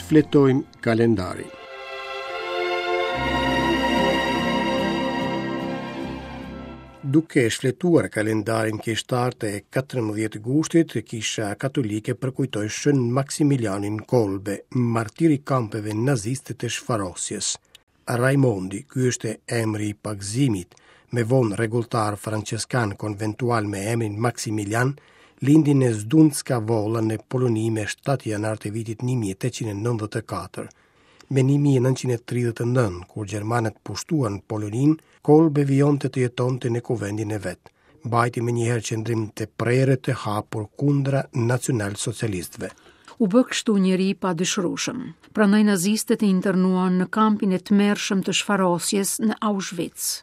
Shfletojmë kalendarin. Duke shfletuar kalendarin kishtar të 14 gushtit, Kisha Katolike përkujtoi Shën Maksimilianin Kolbe, martir i kampeve naziste të shfarosjes. Raimondi, ky është emri i pagëzimit, më vonë rregulltar françeskan konventual me emrin Maksimilian, lindi në Zdunska Vola në Poloni me 7 janar të vitit 1894. Me 1939, kur gjermanët pushtuan Poloninë, Kolbe vijonte të jetonte në kuventin e vet. Mbajti menjëherë qëndrim të prerë të hapur kundra nacionalsocialistëve. U bë kështu njeri i padëshirueshëm. Prandaj nazistët e internuan në kampin e tmerrshëm të shfarosjes në Auschwitz.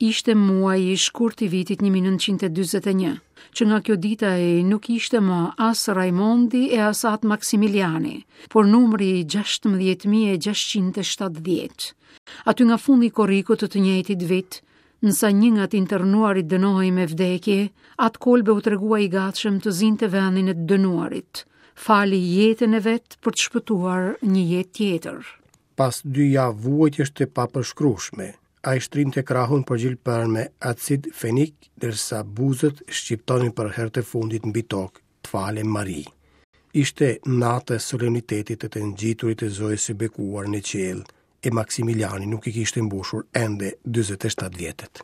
Ishte muaji shkurt i vitit 1941, që nga kjo ditë ai nuk ishte më as Raimondi e as At Maksimiliani, por numri 16670. Aty nga fundi i korrikut të të njëjtit vit, Ndërsa një nga të internuarit dënohej me vdekje, At Kolbe u tregua i gatshëm të zinte vendin e të dënuarit. Fali jetën e vet për të shpëtuar një jetë tjetër. Pas dy javë vuajtjesh të papërshkrueshme, ai shtrinte krahun për gjilpërën me acid fenik, ndërsa buzët shqiptonin për herë të fundit mbi tokë, të falem Mari. Ishte nata e solemnitetit të të ngjiturit të Zojës së Bekuar në qiell, e Maksimiliani nuk i kishte mbushur ende 47 vjetët.